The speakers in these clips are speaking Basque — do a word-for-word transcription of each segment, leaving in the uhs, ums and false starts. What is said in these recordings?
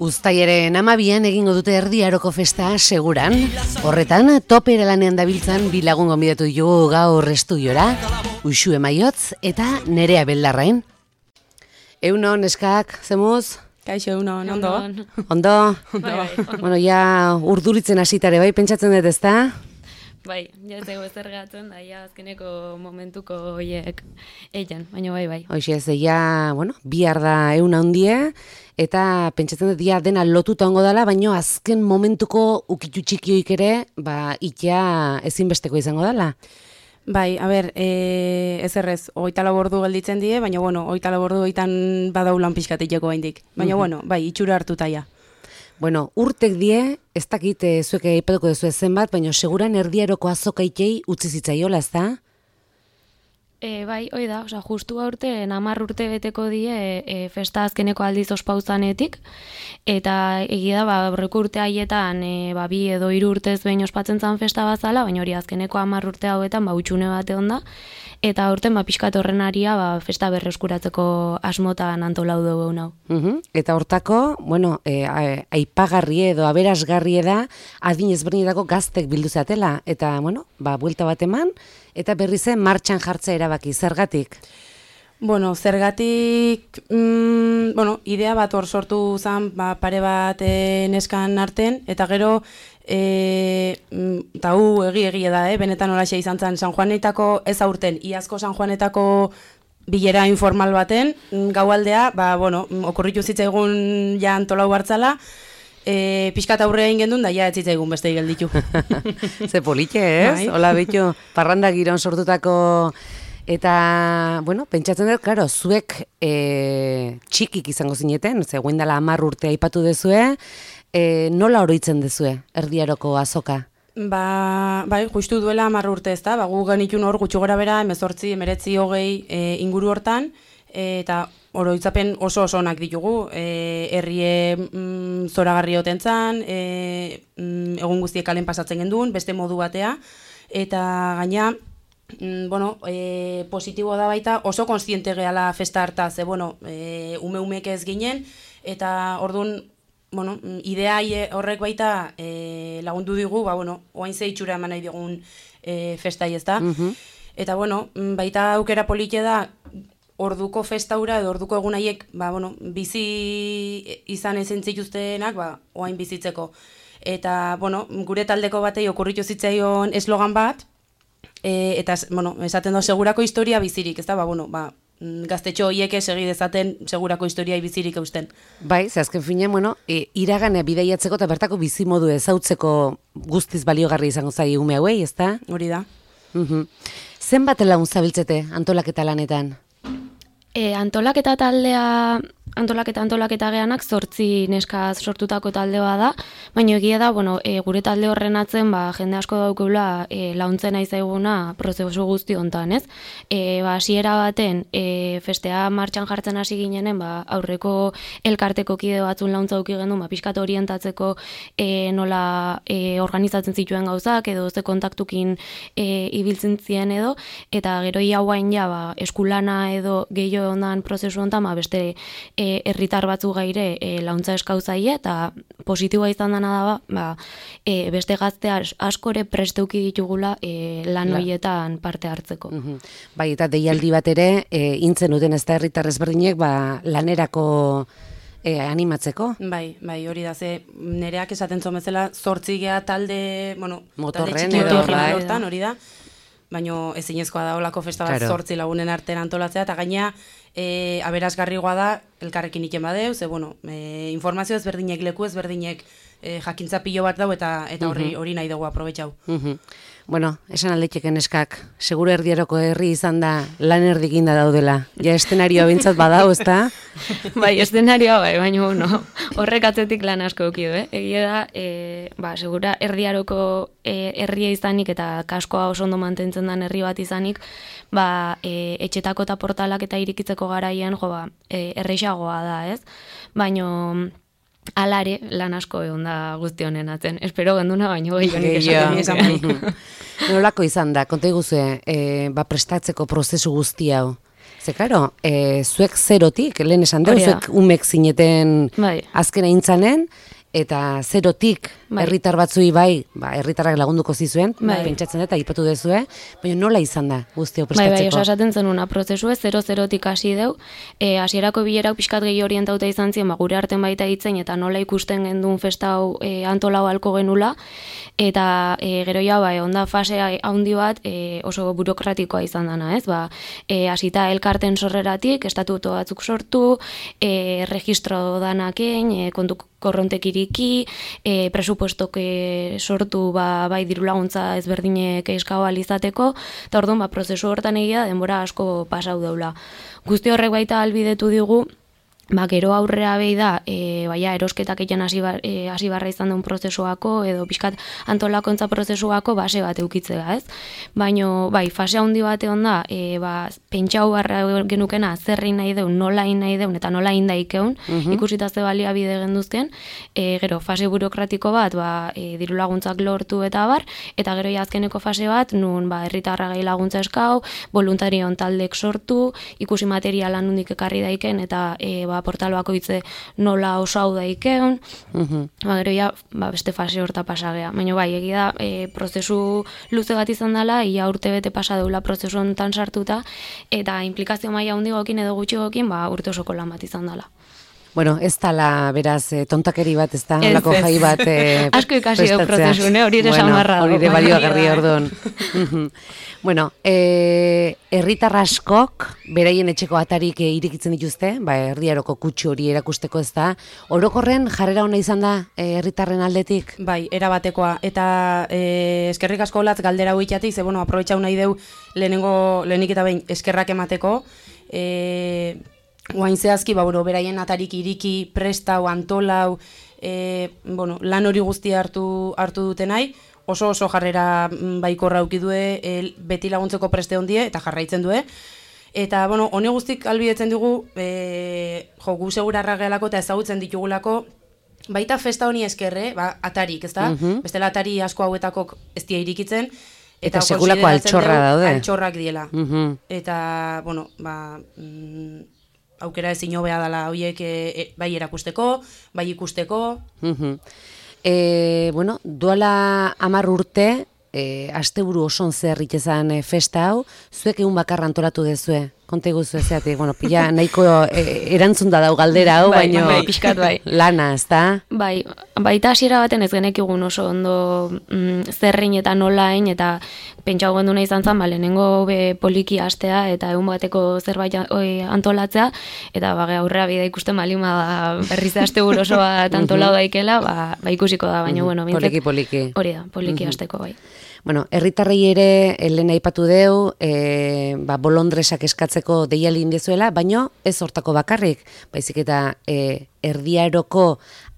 Uztailaren hamabian egingo dute Erdi Aroko festa seguran. Horretan, topera lanean dabiltzan bilagun gonbidatu dugu gaur estudiora, Uxue Maiotz eta Nerea Beldarrain. Eunon, eskak, zemuz? Kaixo, eunon, ondo? Ondo? Ondo. Bueno, ja urduritzen hasitare bai, pentsatzen dut ezta? Bai, ja ez ego zergatzen, da, ja azkeneko momentuko hoiek eian, baina bai, bai. Hoxe, ez, ja, bueno, bihar da euna hundie, eta pentsatzen dut ja dena lotuta ongo dela, baina azken momentuko ukitu txikioik ere, ba, ikia ezinbesteko izango dela. Bai, a ber, e, ez errez, oita labordu gelditzen die, baina, bueno, oita labordu oitan badaulan pixkatikeko haindik. Baina, uh-huh. bueno, bai, itxura hartuta ja. Bueno, urtek die, ez dakit zuek aipatuko duzu zenbat, baina seguran Erdi Aroko azokaitei utzi zitzaiola, ez da? E, bai, hoi da, oza, justu aurte, hamar urte beteko die e, festa azkeneko aldiz ospauzanetik, eta egia da, ba, aurreko urte haietan, e, ba, bi edo hiru urtez behin ospatzen zan festa bazala, baina hori azkeneko hamar urte hauetan, ba, utxune bate onda, eta aurten, ba, pixkat horren aria, ba, festa berreskuratzeko asmotan antolau dugu nau. Uhum. Eta hortako, bueno, e, aipagarri edo aberasgarri da, adin ezberdinetako gaztek bildu zatela, eta, bueno, ba, buelta bat eman, eta berri zen martxan jartzea erabaki, zergatik? Bueno, zergatik, mm, bueno, idea bat hor sortu zen, ba, pare bat e, neskan arten, eta gero, e, eta hu egi-egi da, eh? Benetan holaxe izan zen, San Juanetako ez aurten, iazko San Juanetako bilera informal baten, gaualdea, ba, bueno, okurritu zitzaigun ja antolau hartzala, E, pixkat aurrea ingendun, da ja ez zitzaigun beste gelditu. Ze politxe, ez? Bai. Hola, betxo, parranda giron sortutako, eta, bueno, pentsatzen dut, klaro, zuek e, txikik izango zineten, ze guen dela hamar urte aipatu dezue, e, nola oroitzen dezue, Erdi Aroko azoka? Ba, bai, justu duela hamar urte ez da, ba, gu genitun hor gutxu gora bera, emezortzi, emeretzi, hogei e, inguru hortan, e, eta oroitzapen oso oso onak ditugu, e, herrie mm, zoragarri oten zan, e, mm, egun guztiek kalen pasatzen genduen, beste modu batea, eta gaina, mm, bueno, e, positibo da baita, oso konstiente gehala festa harta, ze, bueno, e, ume-umek ez ginen, eta orduan, bueno, idea horrek baita e, lagundu digu, ba, bueno, oain ze itxura eman nahi digun e, festai ez da, uh-huh. Eta, bueno, baita aukera polite da, orduko festaura edo orduko egun haiek, ba, bueno, bizi izan ezen zituztenak, ba, oain bizitzeko. Eta, bueno, gure taldeko batei okurritu zitzaion eslogan bat, e, eta, bueno, esaten da segurako historia bizirik, ez da, ba, bueno, ba, gaztetxo horiek segi dezaten segurako historia bizirik eusten. Bai, ze azken finean, bueno, e, iragana bidaiatzeko eta bertako bizimodu ezautzeko guztiz baliogarri izango zai ume hauei, ez da? Hori da. Uh-huh. Zenbat lagun zabiltzete antolaketa lanetan? E, antolaketa taldea, antolaketa antolaketa geanak zortzi neskaz sortutako taldea da, baina egia da, bueno, e, gure talde horren atzen, ba, jende asko daukula e, launtzen nahi zaiguna prozesu guzti hontan, ez? E, ba, hasiera baten, e, festea martxan jartzen hasi ginenen, ba, aurreko elkarteko kide batzun launtza auki gendu, ba, pixkat orientatzeko e, nola e, organizatzen zituen gauzak, edo ze kontaktukin e, ibiltzen zien edo, eta gero ia guain ja, ba, eskulana edo gehiago ondan prozesu honetan, ba, beste e, herritar batzu gaire e, launtza eskauzaile, eta positiboa izan dena da, ba, e, beste gaztea askore presteuki ditugula e, lan horietan parte hartzeko. Uh-huh. Bai, eta deialdi bat ere, e, intzen duten ez da herritar ezberdinek, ba, lanerako e, animatzeko? Bai, bai, hori da, ze nereak esaten zomezela, zortzi gea talde, bueno, motorren talde edo, bai, hortan, hori da, baina ezinezkoa da olako festa bat claro. Zortzi lagunen artean antolatzea, eta gaina e, aberasgarrigoa da elkarrekin iken badeu, ze, bueno, e, informazio ezberdinek, leku ezberdinek e, jakintza pilo bat dau, eta eta hori uh-huh. hori nahi dugu aprobetxau. Uh-huh. Bueno, esan aldetxeken eskak, seguro Erdi Aroko herri izan da lan erdikinda daudela. Ja eszenarioa bintzat badau, ez da? Bai, eszenarioa bai, baina no, horrek atzetik lan asko eukio, eh? Egia da, e, ba, segura Erdi Aroko e, herria izanik eta kaskoa oso ondo mantentzen den herri bat izanik, ba, e, etxetako eta portalak eta irikitzeko garaian, jo, ba, e, erreixagoa da, ez? Baina alare lan asko egon da guzti honen atzen. Espero genduna baino gehiagonik esaten. Nolako izan da, konta iguzue, e, ba, prestatzeko prozesu guzti hau? Ze, klaro, e, zuek zerotik, lehen esan deu, zuek umek zineten bai. Azken aintzanen, eta zerotik bai. Herritar batzui bai, ba, herritarrak lagunduko zizuen, bai. Pentsatzen dut, aipatu dezue, baina nola izan da guzti hau prestatzeko? Bai, bai, osatzen zenuna, prozesue, zero-zerotik hasi deu, e, hasierako bilerak pixkat gehi orientauta izan ziren, ba, gure arten baita hitzen, eta nola ikusten gendun festa hau e, antolau halko genula, eta e, gero ja, ba, onda fase handi bat e, oso burokratikoa izan dana, ez? Ba, e, hasita elkarten sorreratik, estatuto batzuk sortu, e, registro danaken, e, kontu korrontek iriki, e, presupuestok e, sortu ba, bai diru laguntza ezberdinek eskau alizateko, eta orduan ba, prozesu hortan egia denbora asko pasau daula. Guzti horrek baita albidetu digu, ba, gero aurrera behi da, e, baina erosketak egin hasi bar, e, barra izan duen prozesuako, edo pixkat antolakontza prozesuako base bat eukitzea, ez? Baina, bai, fase handi bat egon da, e, ba, pentsau barra genukena zerrein nahi deun, nola in nahi deun, eta nola in daikeun, uh-huh. ikusita ze baliabide genduzken, e, gero, fase burokratiko bat, ba, e, diru laguntzak lortu eta bar, eta gero azkeneko fase bat, nun, ba, herritarra gai laguntza eskau, voluntarion taldek sortu, ikusi materiala nundik ekarri daiken, eta, e, ba, portal bakoitze nola oso hau daikeun, uh-huh. ba, gero ja, ba, beste fase horta pasagea. Baina bai, egia da, e, prozesu luze bat izan dela, ia urte bete pasa deula prozesu honetan sartuta, eta implikazio maila handigokin edo gutxigokin, ba, urte osoko lan bat izan dela. Bueno, ez tala, beraz, e, tontakeri bat, ez da, holako jai bat e, asko ikasi du prozesune, hori ere samarra. Hori ere balioagarri orduan. Bueno, e, herritar askok, beraien etxeko atarik e, irikitzen dituzte, ba, herriaroko kutsu hori erakusteko ez da, orokorren jarrera ona izan da e, herritarren aldetik? Bai, erabatekoa, eta e, eskerrik asko latz galdera huitatik, ze, bueno, aprobetxau nahi deu lehenengo, lehenik eta behin eskerrak emateko, e, Oain zehazki, ba, bueno, beraien atarik iriki, prestau, antolau, e, bueno, lan hori guzti hartu, hartu dute nahi, oso oso jarrera baikorra aukidue, e, beti laguntzeko preste hondie, eta jarraitzen due. Eta, bueno, honi guztik albidetzen dugu, e, jo, gu segurarra gehalako eta ezagutzen ditugulako, baita festa honi eskerre, ba, atarik, ez da? Uh-huh. Bestela atari asko hauetakok ez dia irikitzen, eta, eta sekulako altxorra daude. Altxorrak diela. Uh-huh. Eta, bueno, ba... Mm, aukera ezin hobea dela horiek e, e, bai erakusteko, bai ikusteko. Uh-huh. e, bueno, duela hamar urte, e, asteburu oson zer itezan e, festa hau, zuek egun bakarra antolatu dezue. Konte guzu ezeatik, bueno, pila nahiko e, erantzun da dau galdera hau, bai, baino bai, pixkat bai. Lana, ez da? Bai, baita hasiera baten ez genekigun oso ondo mm, zerrein eta nolain, eta pentsau genduna izan zen, ba, lehenengo be poliki astea, eta egun bateko zerbait oi, antolatzea, eta ba, aurrera bide ikusten balima da berriz aste oso bat antolau daikela, ba, ba ikusiko da, baina, bueno, bintzat, poliki, poliki. Hori da, poliki asteko, bai. Bueno, herritarrei ere, lehen aipatu deu, e, ba, bolondresak eskatzeko deiali indezuela, baino ez hortako bakarrik, baizik eta e, erdiaroko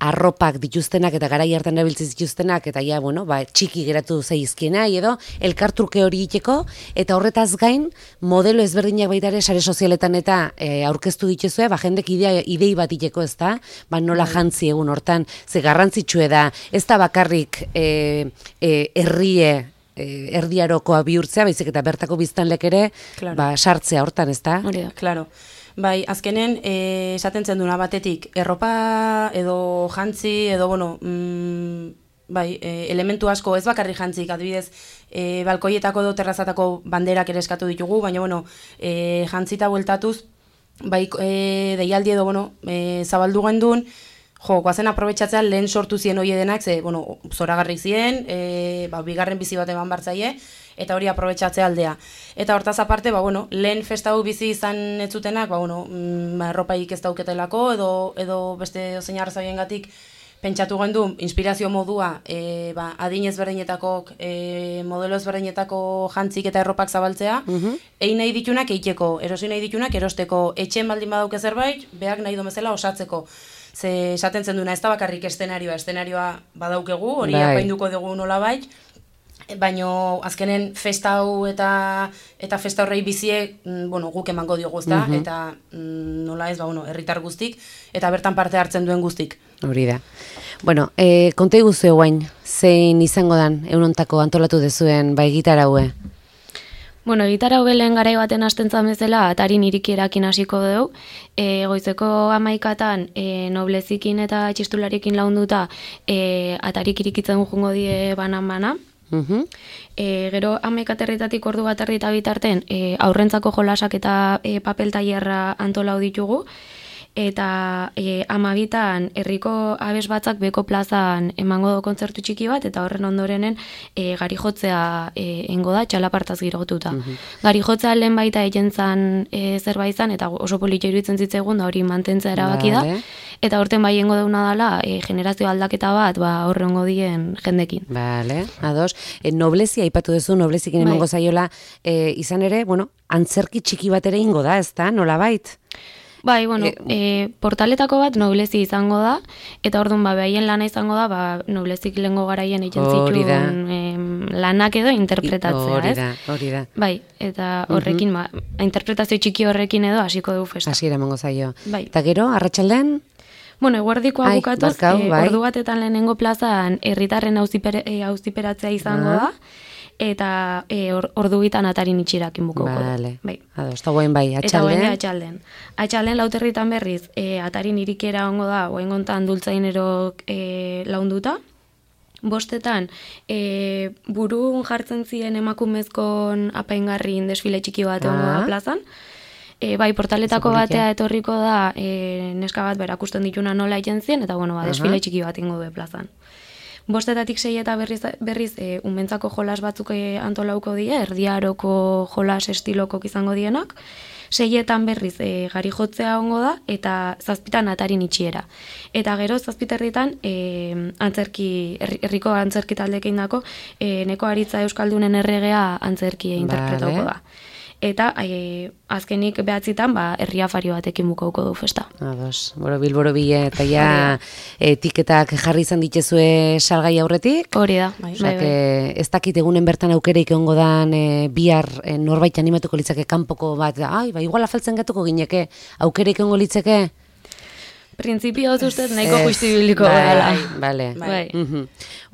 arropak dituztenak eta garai hartan erabiltzen dituztenak, eta ja, bueno, ba, txiki geratu zaizkiena, edo elkartruke hori iteko, eta horretaz gain, modelo ezberdinak baita ere sare sozialetan eta e, aurkeztu dituzue, ba, jendek idea, idei bat iteko, ez da, ba, nola jantzi egun hortan, ze garrantzitsue da, ez da bakarrik e, e, herrie, erdiarokoa bihurtzea, baizik eta bertako biztanlek ere, claro. Ba, sartzea hortan, ez da? Hori da, claro. Bai, azkenen, e, esaten zen duna batetik, erropa edo jantzi, edo, bueno, mm, bai, e, elementu asko ez bakarri jantzik, adibidez, e, balkoietako edo terrazatako banderak ere eskatu ditugu, baina, bueno, e, jantzita bueltatuz, bai, e, deialdi edo, bueno, e, zabaldu gendun, jo, guazen aprobetxatzea lehen sortu zien hori denak, ze, bueno, zoragarri zien, e, ba, bigarren bizi bat eman bartzaie, eta hori aprobetxatzea aldea. Eta hortaz aparte, ba, bueno, lehen festa hau bizi izan ez zutenak, ba, bueno, mm, ba, erropaik ez dauketelako, edo, edo beste ozein arrazoien gatik, pentsatu gendu, inspirazio modua, e, ba, adin ezberdinetako, e, modelo ezberdinetako jantzik eta erropak zabaltzea, uh-huh. egin nahi ditunak eiteko, erosi nahi ditunak erosteko, etxen baldin badauke zerbait, behak nahi domezela osatzeko. Ze esaten zen duna, ez da bakarrik estenarioa, estenarioa badaukegu, hori bai. Apainduko dugu nola bai, baina azkenen festa hau eta eta festa horrei biziek, bueno, guk emango diogu, ezta, uh-huh. eta mm, nola ez, ba, bueno, herritar guztik, eta bertan parte hartzen duen guztik. Hori da. Bueno, e, konta iguzu guain, zein izango dan, eunontako antolatu dezuen, bai, gitar haue? Bueno, gitarra hobelen garai baten hasten zan bezala, atarin irikierakin hasiko dugu. E, goizeko amaikatan e, noblezikin eta txistularikin launduta e, atarik irikitzen jungo die banan-bana. Uh-huh. E, gero amaikaterritatik ordu bat erdi eta bitarten e, aurrentzako jolasak eta e, papel tailerra antolau ditugu. Eta e, amabitan herriko abes batzak beko plazan emango do kontzertu txiki bat, eta horren ondorenen e, gari jotzea e, engo da, txalapartaz girotuta. Uh-huh. Gari jotzea lehen baita egin zan e, zerbait zan, eta oso polita iruditzen zitzaigun, da hori mantentzea erabaki da. Vale. Eta horten bai engo deuna dela, e, generazio aldaketa bat, ba, horrengo dien jendekin. Vale, ados. E, noblezia aipatu duzu, noblezikin emango bai. Zaiola, e, izan ere, bueno, antzerki txiki bat ere ingo da, ez da, nola bait? Bai, bueno, e, e, portaletako bat noblezi izango da, eta orduan ba, behaien lana izango da, ba, noblezik lehengo garaien egin zituen em, lanak edo interpretatzea, hori da, ez? Hori da, Bai, eta horrekin, uh-huh. ba, interpretazio txiki horrekin edo hasiko dugu festa. Hasiera emango zaio. Bai. Eta gero, arratsaldean? Bueno, eguerdikoa bukatuz, barkau, e, bai. ordu batetan lehenengo plazan herritarren auziper, e, auziperatzea izango uh-huh. da, eta e, or, ordu bitan atarin itxirakin bukoko. Vale. Bai. Ados, eta guen bai, atxalden? Eta guen atxalden. Atxalden lauterritan berriz, e, atarin irikiera ongo da, guen gontan dultzainerok e, launduta. Bostetan, e, burun jartzen ziren emakumezkon apaingarrin desfile txiki bat ongo da plazan. E, bai, portaletako batea etorriko da, e, neska bat berakusten dituna nola egin zien, eta bueno, ba, desfile txiki bat ingo du plazan. Bostetatik sei eta berriz, berriz e, unbentzako jolas batzuk e, antolauko die, erdiaroko jolas estilokok izango dienak. Seietan berriz e, gari jotzea ongo da, eta zazpitan atarin itxiera. Eta gero zazpiterritan e, antzerki, herriko antzerki taldekein dako, e, neko aritza euskaldunen erregea antzerki vale. Interpretauko da. Eta e, azkenik behatzitan ba, herria fario batekin bukauko du festa. Ados, boro bilboro bile, eta ja etiketak jarri izan dituzue salgai aurretik. Hori da. Bai, bai, bai. Ez dakit egunen bertan aukereik ongo dan e, bihar e, norbait animatuko litzake kanpoko bat, ai, ba, igual afaltzen gatuko gineke, aukereik ongo litzake? Printzipio hau ustez nahiko justibiliko gara. Bale, bai. Uh-huh.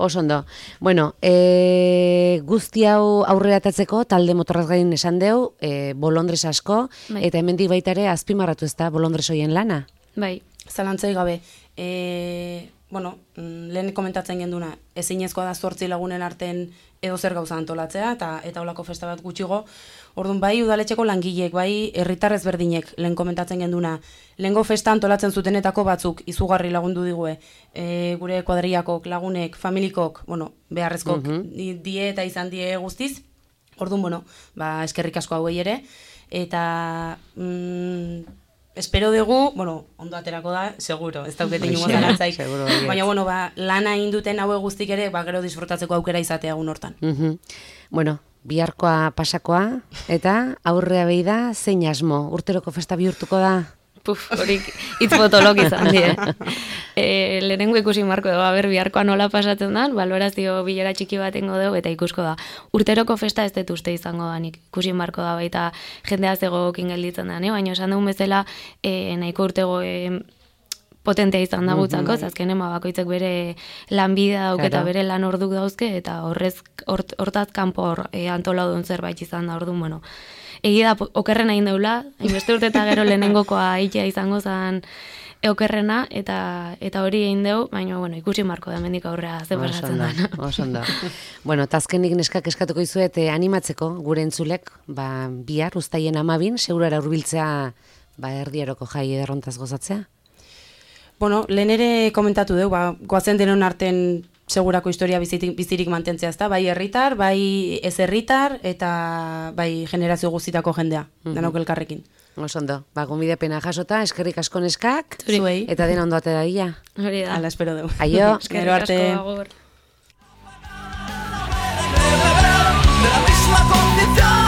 Oso ondo. Bueno, e, guzti hau aurreratatzeko talde motorraz gain esan deu, e, bolondres asko, bai. Eta hemendik baita ere azpimarratu ez da bolondres hoien lana? Bai. Zalantzai gabe. E, bueno, lehen komentatzen genduna, ezinezkoa da zortzi lagunen arten edo zer gauza antolatzea, eta eta holako festa bat gutxigo. Orduan, bai udaletxeko langileek, bai herritar ezberdinek lehen komentatzen genduna, lehengo festa antolatzen zutenetako batzuk izugarri lagundu digue, e, gure kuadriakok, lagunek, familikok, bueno, beharrezkok uh-huh. die eta izan die guztiz. Orduan, bueno, ba, eskerrik asko hauei ere, eta mm, espero dugu, bueno, ondo aterako da, seguro, ez daukete inungo zalantzaik, baina, bueno, ba, lana induten haue guztik ere, ba, gero disfrutatzeko aukera izatea egun hortan. Uh-huh. Bueno, biharkoa pasakoa, eta aurrea behi da, zein asmo, urteroko festa bihurtuko da? Puf, horik itzbotolok izan die. E, lehenengo ikusi marko dugu, aber, biharkoa nola pasatzen da, balorazio bilera txiki batengo dugu, eta ikusko da. Urteroko festa ez dut uste izango da, nik ikusi marko da, baita jendea zegoekin gelditzen da, ne? Baina esan dugun bezala, e, nahiko urtego e, potentea izan da gutzako, mm-hmm. azkenen bakoitzek bere lanbidea dauk eta bere lan orduk dauzke, eta horrez, hort, hortaz kanpo hor, e, antolau duen zerbait izan da orduan, bueno. Egi da, okerrena egin deula, hainbeste urte eta gero lehenengokoa aitea izango zen okerrena, eta eta hori egin deu, baina bueno, ikusi marko da mendik aurrea ze pasatzen da. Oso ondo. Bueno, tazkenik neskak eskatuko izuet eh, animatzeko gure entzulek, ba, bihar uztaien amabin, segurara hurbiltzea ba, erdiaroko jai ederrontaz gozatzea? Bueno, lehen ere komentatu dugu, ba, goazen denon arten segurako historia bizitik, bizirik mantentzea, ezta? Bai herritar, bai ez herritar, eta bai generazio guztitako jendea, uh-huh. danok elkarrekin. Oso ondo, ba, gonbidapena jasota, eskerrik asko neskak, zuei, eta dena ondo atera ia. Hori da. Hala, espero dugu. Aio. Eskerrik asko, agur. De la misma condición